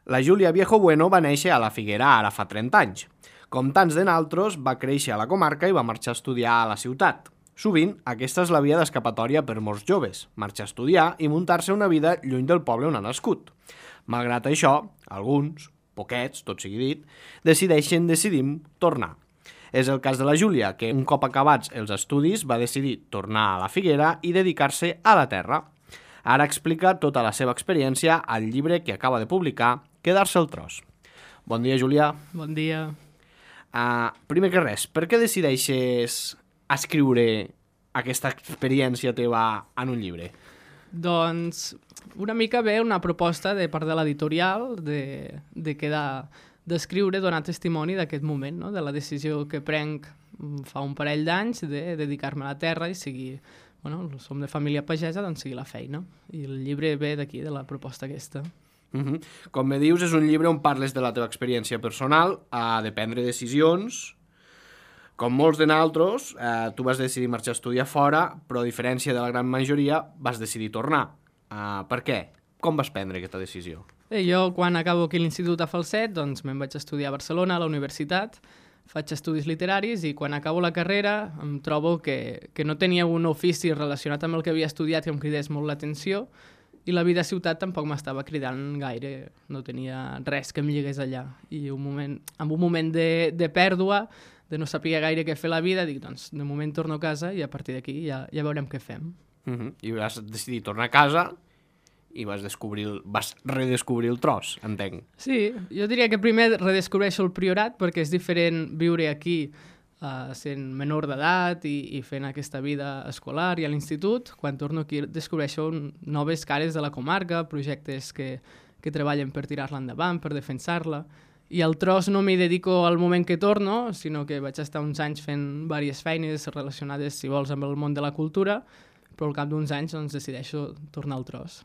La Júlia Viejo Bueno va néixer a la Figuera ara fa 30 anys. Com tants de naltros, va créixer a la comarca i va marxar a estudiar a la ciutat. Sovint, aquesta és la via d'escapatòria per molts joves, marxar a estudiar i muntar-se una vida lluny del poble on ha nascut. Malgrat això, alguns, poquets, tot sigui dit, decidim tornar. És el cas de la Júlia, que un cop acabats els estudis va decidir tornar a la Figuera i dedicar-se a la terra. Ara explica tota la seva experiència al llibre que acaba de publicar, Quedar-se al tros. Bon dia, Júlia. Bon dia. Primer que res, per què decideixes escriure aquesta experiència teva en un llibre? Doncs una mica ve una proposta de part de l'editorial d'escriure, donar testimoni d'aquest moment, no? De la decisió que prenc fa un parell d'anys de dedicar-me a la terra i seguir, som de família pagesa, doncs seguir la feina. I el llibre ve d'aquí, de la proposta aquesta. Com me dius, és un llibre on parles de la teva experiència personal, de prendre decisions. Com molts de nosaltres, tu vas decidir marxar a estudiar fora, però a diferència de la gran majoria, vas decidir tornar. Per què? Com vas prendre aquesta decisió? Jo, quan acabo aquí l'institut a Falset, doncs me'n vaig estudiar a Barcelona, a la universitat, faig estudis literaris i quan acabo la carrera em trobo que no tenia un ofici relacionat amb el que havia estudiat que em cridés molt l'atenció i la vida a ciutat tampoc m'estava cridant gaire, no tenia res que em lligués allà. I en un moment de pèrdua, de no saber gaire què fer a la vida, dic, doncs, de moment torno a casa i a partir d'aquí ja veurem què fem. I vas decidir tornar a casa i vas redescobrir el tros, entenc. Sí, jo diria que primer redescobreixo el Priorat perquè és diferent viure aquí sent menor d'edat i fent aquesta vida escolar i a l'institut. Quan torno aquí descobreixo noves cares de la comarca, projectes que treballen per tirar-la endavant, per defensar-la. I al tros no m'hi dedico al moment que torno, sinó que vaig estar uns anys fent diverses feines relacionades, si vols, amb el món de la cultura, però al cap d'uns anys doncs, decideixo tornar al tros.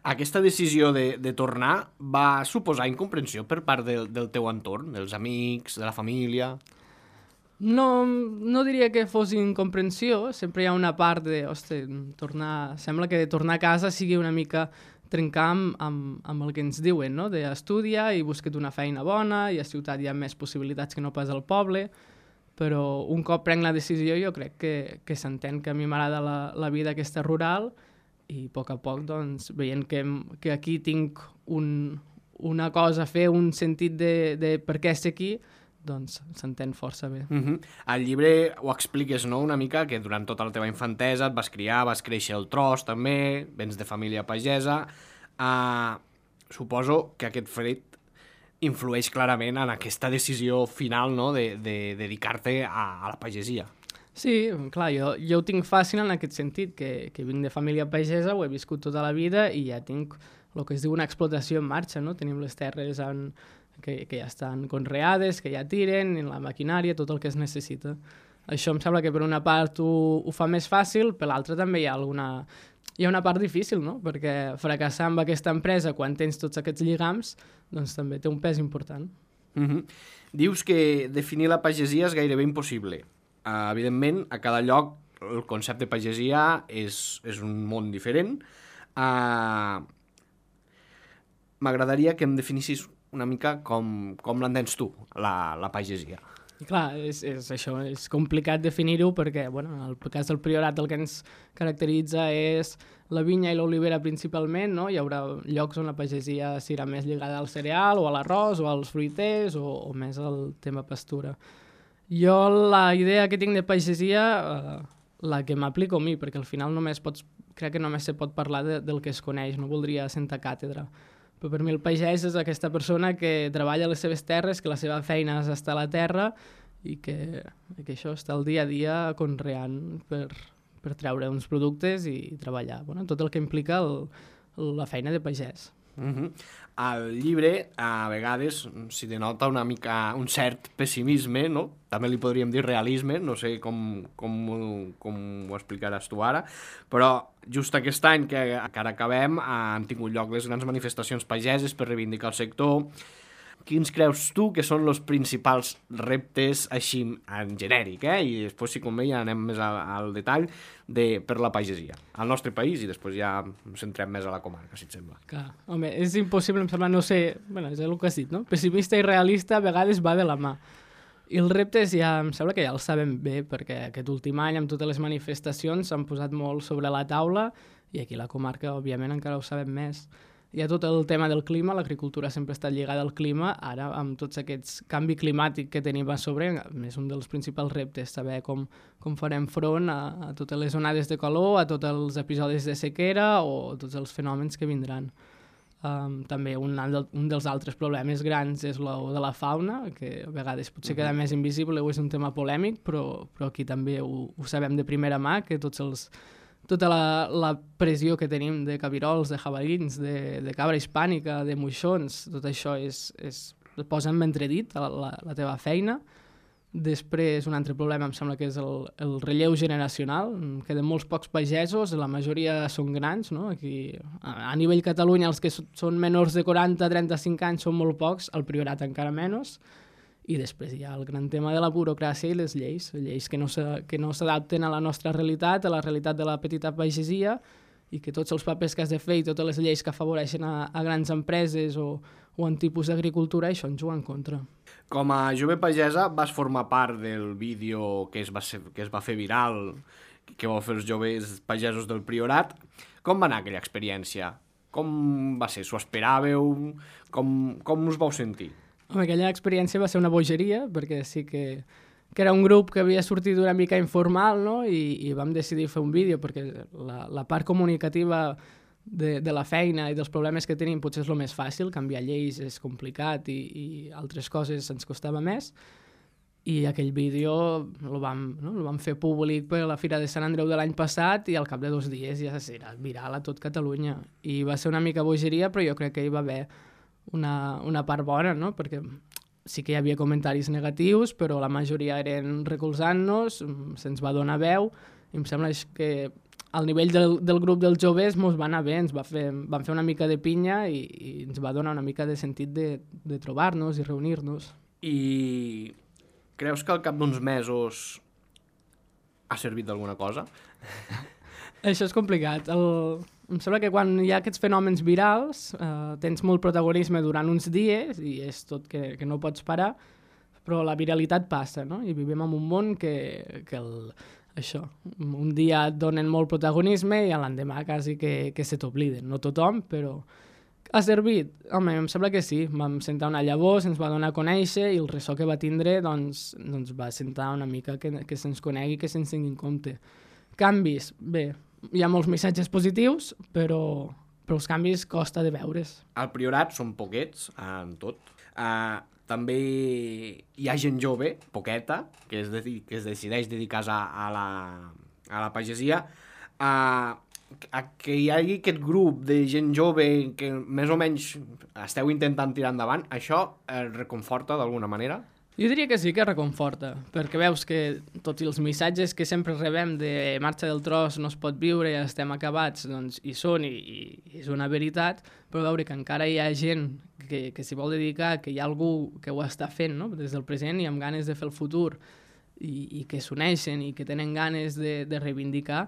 Aquesta decisió de tornar va suposar incomprensió per part del teu entorn, dels amics, de la família? No diria que fos incomprensió, sempre hi ha una part de, sembla que tornar a casa sigui una mica trencar amb el que ens diuen, no? D'estudia i busca't una feina bona i a ciutat hi ha més possibilitats que no pas al poble, però un cop prenc la decisió jo crec que s'entén que a mi m'agrada la vida aquesta rural i a poc, doncs, veient que aquí tinc una cosa a fer, un sentit de per què ser aquí, doncs s'entén força bé. Al llibre ho expliques, no?, una mica, que durant tota la teva infantesa et vas criar, vas créixer al tros també, vens de família pagesa. Suposo que aquest fet influeix clarament en aquesta decisió final, no?, de dedicar-te a la pagesia. Sí, clar, jo ho tinc fàcil en aquest sentit, que vinc de família pagesa, ho he viscut tota la vida i ja tinc el que es diu una explotació en marxa, no? Tenim les terres que ja estan conreades, que ja tiren, la maquinària, tot el que es necessita. Això em sembla que per una part ho fa més fàcil, per l'altra també hi ha una part difícil, no? Perquè fracassar amb aquesta empresa quan tens tots aquests lligams, doncs també té un pes important. Dius que definir la pagesia és gairebé impossible. Evidentment, a cada lloc el concepte de pagesia és un món diferent. M'agradaria que em definissis una mica com l'entens tu, la pagesia. I clar, és això, és complicat definir-ho perquè, en el cas del Priorat el que ens caracteritza és la vinya i l'olivera principalment, no? Hi haurà llocs on la pagesia serà més lligada al cereal o a l'arròs o als fruiters o més al tema pastura. Jo la idea que tinc de pagesia, la que m'aplico a mi, perquè al final crec que només se pot parlar del que es coneix, no voldria sentar càtedra. Però per mi el pagès és aquesta persona que treballa a les seves terres, que la seva feina és estar a la terra i que això està el dia a dia conreant per treure uns productes i treballar. Tot el que implica la feina de pagès. Al llibre, a vegades, s'hi denota una mica un cert pessimisme, no? També li podríem dir realisme, no sé com ho explicaràs tu ara, però just aquest any que ara acabem han tingut lloc les grans manifestacions pageses per reivindicar el sector. Quins creus tu que són els principals reptes així en genèric, i després, si convé, ja anem més al detall per la pagesia, al nostre país, i després ja ens centrem més a la comarca, si et sembla. Clar, home, és impossible, em sembla, no sé, bueno, és el que has dit, no? Pessimista i realista a vegades va de la mà. I els reptes ja em sembla que ja els sabem bé, perquè aquest últim any, amb totes les manifestacions, s'han posat molt sobre la taula, i aquí a la comarca, òbviament, encara ho sabem més. Hi ha tot el tema del clima, l'agricultura sempre ha estat lligada al clima, ara amb tots aquests canvi climàtic que tenim a sobre, és un dels principals reptes, saber com farem front a totes les onades de calor, a tots els episodis de sequera o tots els fenòmens que vindran. També un dels altres problemes grans és el de la fauna, que a vegades potser queda més invisible o és un tema polèmic, però aquí també ho sabem de primera mà, que tota la pressió que tenim de cabirols, de jabalins, de cabra hispànica, de moixons, tot això posa en entredit la teva feina. Després, un altre problema em sembla que és el relleu generacional. Queden molts pocs pagesos, la majoria són grans, no? Aquí, a nivell Catalunya, els que són menors de 40-35 anys són molt pocs, al Priorat encara menys. I després hi ha el gran tema de la burocràcia i les lleis que no s'adapten a la nostra realitat, a la realitat de la petita pagesia, i que tots els papers que has de fer i totes les lleis que afavoreixen a grans empreses o en tipus d'agricultura, això ens juga en contra. Com a jove pagesa vas formar part del vídeo que es va fer viral, que vau fer els joves pagesos del Priorat. Com va anar aquella experiència? Com va ser? S'ho esperàveu? Com us vau sentir? Home, aquella experiència va ser una bogeria, perquè sí que era un grup que havia sortit una mica informal, no? I vam decidir fer un vídeo, perquè la part comunicativa de la feina i dels problemes que tenim potser és el més fàcil, canviar lleis és complicat i altres coses ens costava més, i aquell vídeo el vam fer públic per la Fira de Sant Andreu de l'any passat i al cap de 2 dies ja era viral a tot Catalunya. I va ser una mica bogeria, però jo crec que hi va haver una part bona, no? Perquè sí que hi havia comentaris negatius, però la majoria eren recolzant-nos, se'ns va donar veu, i em sembla que al nivell del grup dels joves mos va anar bé, vam fer una mica de pinya i ens va donar una mica de sentit de trobar-nos i reunir-nos. I creus que al cap d'uns mesos ha servit d'alguna cosa? Això és complicat. Em sembla que quan hi ha aquests fenòmens virals tens molt protagonisme durant uns dies i és tot que no pots parar, però la viralitat passa, no? I vivim en un món que un dia et donen molt protagonisme i l'endemà quasi que se t'obliden. No tothom, però ha servit. Home, em sembla que sí. Vam sentar una llavor, se'ns va donar a conèixer i el ressò que va tindre doncs va sentar una mica que se'ns conegui, que se'ns tingui en compte. Canvis, bé, hi ha molts missatges positius, però els canvis costa de veure's. Al Priorat són poquets, en tot. També hi ha gent jove, poqueta, que es decideix dedicar-se a la pagesia. Que hi hagi aquest grup de gent jove que més o menys esteu intentant tirar endavant, això reconforta d'alguna manera? Jo diria que sí que reconforta, perquè veus que tots els missatges que sempre rebem de marxa del tros, no es pot viure, ja estem acabats, doncs hi són i és una veritat, però veure que encara hi ha gent que s'hi vol dedicar, que hi ha algú que ho està fent, no? Des del present i amb ganes de fer el futur i que s'uneixen i que tenen ganes de reivindicar,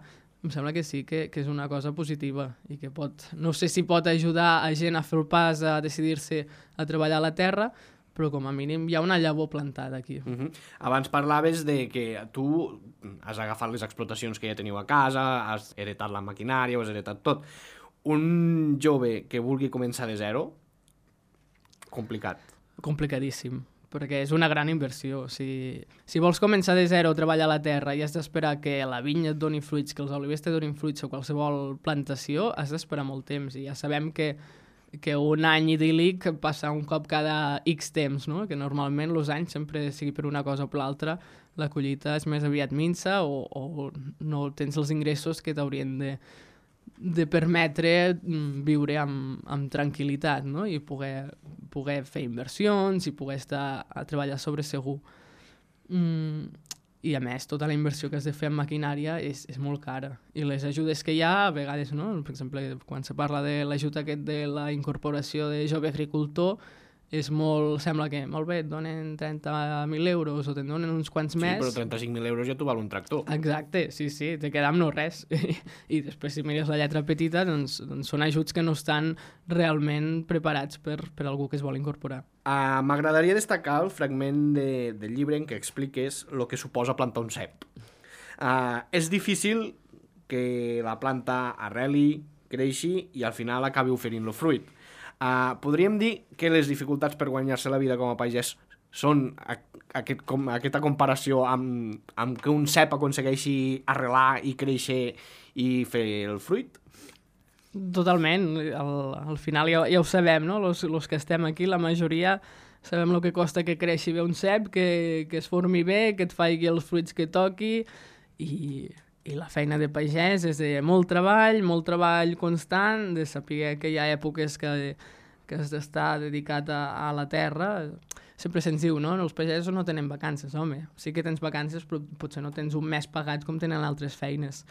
em sembla que sí que és una cosa positiva i que no sé si pot ajudar a gent a fer el pas a decidir-se a treballar a la terra, però com a mínim hi ha una llavor plantada aquí. Abans parlaves de que tu has agafat les explotacions que ja teniu a casa, has heretat la maquinària, ho has heretat tot. Un jove que vulgui començar de zero, complicat. Complicadíssim, perquè és una gran inversió. Si vols començar de zero a treballar a la terra i has d'esperar que la vinya et doni fruits, que els olivers te donin fruits o qualsevol plantació, has d'esperar molt temps i ja sabem que un any idíl·lic passa un cop cada X temps, no? Que normalment els anys, sempre sigui per una cosa o per l'altra, la collita és més aviat minsa o no tens els ingressos que t'haurien de permetre viure amb tranquil·litat, no? I poder fer inversions i poder estar a treballar sobre segur. I a més, tota la inversió que has de fer en maquinària és molt cara. I les ajudes que hi ha, a vegades, no? Per exemple, quan se parla de l'ajut aquest de la incorporació de jove agricultor, és molt... Sembla que, molt bé, et donen 30.000 euros o te'n donen uns quants més... Sí, però 35.000 euros ja t'ho val un tractor. Exacte, sí, te queda amb no res. I després, si mires la lletra petita, doncs són ajuts que no estan realment preparats per algú que es vol incorporar. M'agradaria destacar el fragment del llibre en què expliques el que suposa plantar un cep. És difícil que la planta arreli, creixi i al final acabi oferint el fruit. Podríem dir que les dificultats per guanyar-se la vida com a pagès són aquesta comparació amb que un cep aconsegueixi arrelar i créixer i fer el fruit? Totalment, al final ja ho sabem, no? Los que estem aquí, la majoria sabem el que costa que creixi bé un cep, que es formi bé, que et faci els fruits que toqui i la feina de pagès és de molt treball constant, de saber que hi ha èpoques que has d'estar dedicat a la terra. Sempre se'ns diu, no? Els pagesos no tenen vacances, home. Sí que tens vacances, però potser no tens un mes pagat com tenen altres feines.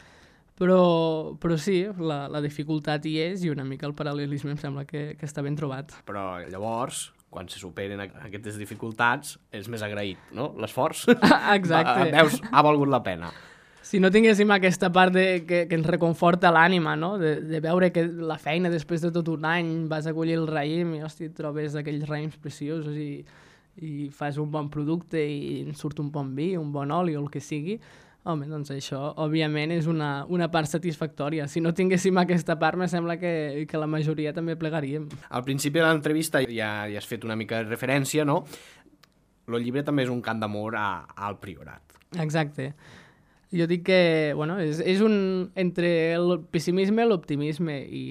Però sí, la dificultat hi és i una mica el paral·lelisme em sembla que està ben trobat. Però llavors, quan se superen aquestes dificultats, és més agraït, no? L'esforç Exacte. Veus, ha valgut la pena. Si no tinguéssim aquesta part que ens reconforta l'ànima, no? De veure que la feina després de tot un any vas a collir el raïm i, hòstia, trobes aquells raïms preciosos i fas un bon producte i en surt un bon vi, un bon oli o el que sigui, home, doncs això, òbviament, és una part satisfactòria. Si no tinguéssim aquesta part, me sembla que la majoria també plegaríem. Al principi de l'entrevista ja has fet una mica de referència, no? El llibre també és un cant d'amor al Priorat. Exacte. Jo dic que, bueno, és un entre el pessimisme i l'optimisme i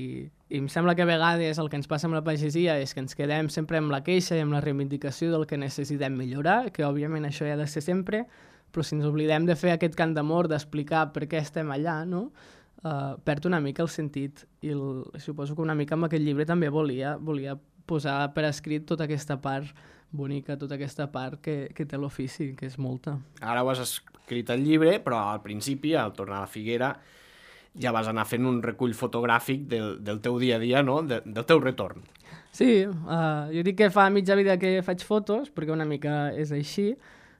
em sembla que a vegades el que ens passa amb la pagesia és que ens quedem sempre amb la queixa i amb la reivindicació del que necessitem millorar, que òbviament això ha de ser sempre, però si ens oblidem de fer aquest cant d'amor, d'explicar per què estem allà, no? Perd una mica el sentit i suposo que una mica amb aquest llibre també volia posar per escrit tota aquesta part bonica, tota aquesta part que té l'ofici, que és molta. Ara ho has escrit al llibre, però al principi, al tornar a la Figuera, ja vas anar fent un recull fotogràfic del teu dia a dia, no? Del teu retorn. Sí, jo dic que fa mitja vida que faig fotos, perquè una mica és així,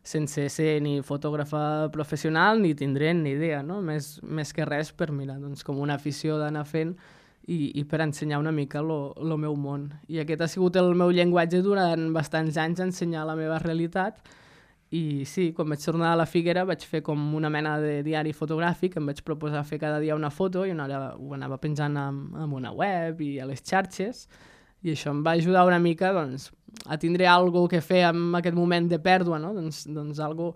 sense ser ni fotògrafa professional ni tindré ni idea, no? Més que res per mirar, doncs, com una afició d'anar fent i per ensenyar una mica el meu món. I aquest ha sigut el meu llenguatge durant bastants anys, ensenyar la meva realitat. I sí, quan vaig tornar a la Figuera vaig fer com una mena de diari fotogràfic, em vaig proposar fer cada dia una foto i ho anava penjant en una web i a les xarxes, i això em va ajudar una mica doncs, a tindre alguna que fer en aquest moment de pèrdua, no? Doncs algo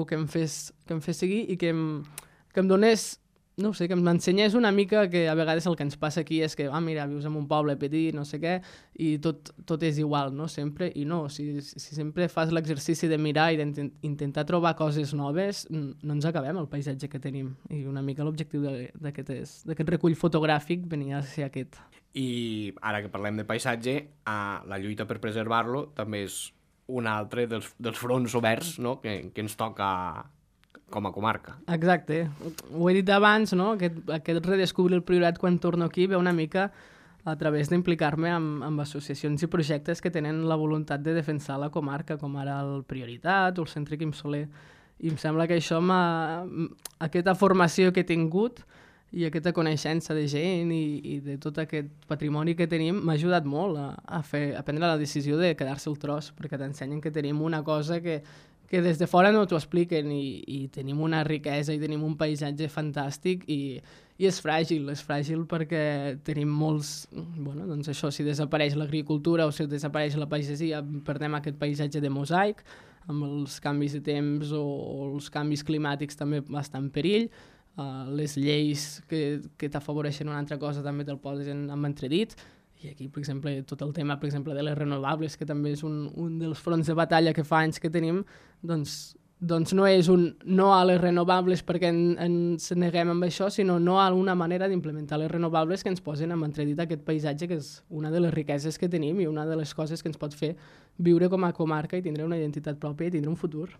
que em fes seguir i que em donés, no sé, que m'ensenyés una mica que a vegades el que ens passa aquí és que, mira, vius en un poble petit, no sé què, i tot és igual, no?, sempre, i no, si sempre fas l'exercici de mirar i d'intentar trobar coses noves, no ens acabem el paisatge que tenim, i una mica l'objectiu d'aquest recull fotogràfic venia a ser aquest. I ara que parlem de paisatge, la lluita per preservar-lo també és un altre dels fronts oberts, no?, que ens toca com a comarca. Exacte. Ho he dit abans, no? Aquest redescobrir el Priorat quan torno aquí ve una mica a través d'implicar-me amb associacions i projectes que tenen la voluntat de defensar la comarca, com ara el Prioritat o el Centre Quim Soler. I em sembla que això aquesta formació que he tingut i aquesta coneixença de gent i de tot aquest patrimoni que tenim m'ha ajudat molt a prendre la decisió de quedar-se el tros, perquè t'ensenyen que tenim una cosa que des de fora no t'ho expliquen i tenim una riquesa i tenim un paisatge fantàstic i és fràgil perquè tenim molts... Bueno, doncs això, si desapareix l'agricultura o si desapareix la pagesia, perdem aquest paisatge de mosaic, amb els canvis de temps o els canvis climàtics també estan en perill, les lleis que t'afavoreixen una altra cosa també te'l posen en entredit. I aquí, per exemple, tot el tema de les renovables, que també és un dels fronts de batalla que fa anys que tenim, doncs no és un no a les renovables perquè ens neguem amb això, sinó no a una manera d'implementar les renovables que ens posen en entredit aquest paisatge, que és una de les riqueses que tenim i una de les coses que ens pot fer viure com a comarca i tindre una identitat pròpia i tindre un futur.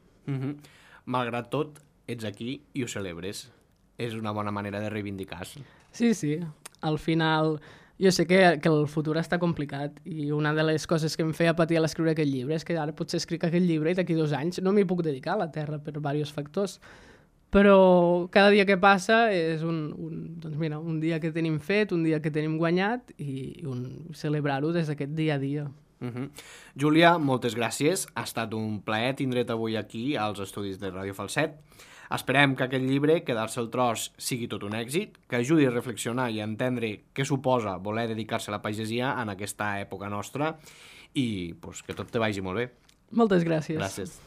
Malgrat tot, ets aquí i ho celebres. És una bona manera de reivindicar-se. Sí. Al final Jo sé que el futur està complicat i una de les coses que em feia patir a l'escriure aquest llibre és que ara potser escric aquest llibre i d'aquí 2 anys no m'hi puc dedicar a la Terra per diversos factors. Però cada dia que passa és doncs mira, un dia que tenim fet, un dia que tenim guanyat i celebrar-ho des d'aquest dia a dia. Júlia, moltes gràcies. Ha estat un plaer tindre't avui aquí als estudis de Ràdio Falset. Esperem que aquest llibre, Quedar-se al tros, sigui tot un èxit, que ajudi a reflexionar i a entendre què suposa voler dedicar-se a la pagesia en aquesta època nostra i que tot te vagi molt bé. Moltes gràcies. Gràcies.